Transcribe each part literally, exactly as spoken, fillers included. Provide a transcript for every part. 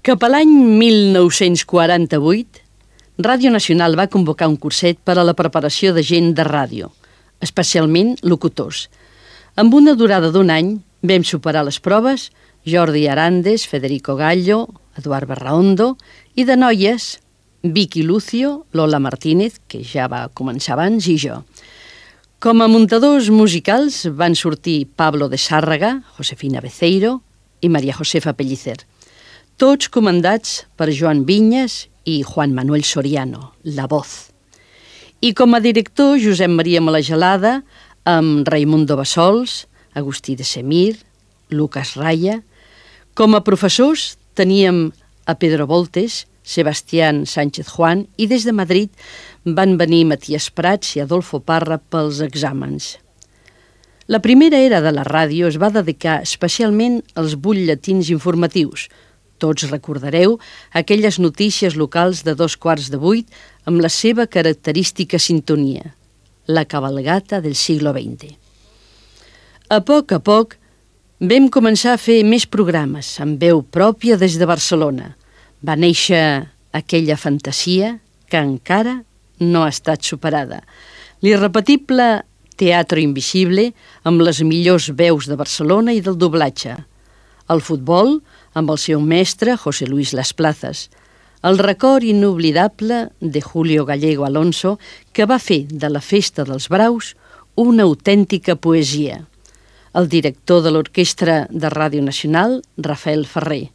Cap a l'any mil nou-cents quaranta-vuit, Ràdio Nacional va convocar un curset per a la preparació de gent de ràdio, especialment locutors. Amb una durada d'un any vam superar les proves Jordi Arandes, Federico Gallo, Eduard Barraondo, i de noies, Vicky Lucio, Lola Martínez, que ja va començar abans, i jo. Com a muntadors musicals van sortir Pablo de Sàrrega, Josefina Beceiro i Maria Josefa Pellicer, tots comandats per Joan Vinyes i Juan Manuel Soriano, la voz. I com a director, Josep Maria Malagelada, amb Raimundo Bassols, Agustí de Semir, Lucas Raya. Com a professors teníem a Pedro Voltes, Sebastián Sánchez Juan, i des de Madrid van venir Matías Prats i Adolfo Parra pels exàmens. La primera era de la ràdio es va dedicar especialment als butlletins informatius. Tots recordareu aquelles notícies locals de dos quarts de vuit amb la seva característica sintonia, la cabalgata del siglo veinte. A poc a poc vam començar a fer més programes amb veu pròpia des de Barcelona. Va néixer aquella fantasia que encara no ha estat superada. L'irrepetible Teatro Invisible amb les millors veus de Barcelona i del doblatge. El futbol amb el seu mestre José Luis Las Plazas. El record inoblidable de Julio Gallego Alonso, que va fer de la Festa dels Braus una autèntica poesia. El director de l'Orquestra de Ràdio Nacional, Rafael Ferrer.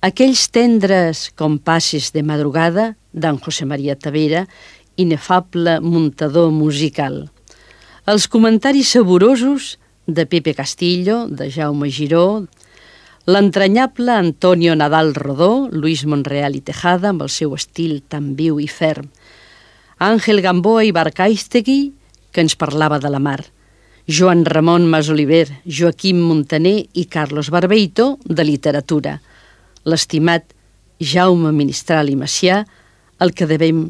Aquells tendres compasses de madrugada d'en José María Tavera, inefable muntador musical. Els comentaris saborosos de Pepe Castillo, de Jaume Giró, l'entranyable Antonio Nadal Rodó, Luis Monreal i Tejada, amb el seu estil tan viu i ferm. Àngel Gamboa i Barcaistegui, que ens parlava de la mar. Joan Ramon Masoliver, Joaquim Montaner i Carlos Barbeito, de literatura. L'estimat Jaume Ministral i Macià, al que devem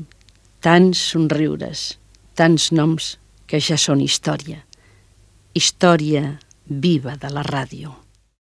tants somriures, tants noms que ja són història. Història viva de la ràdio.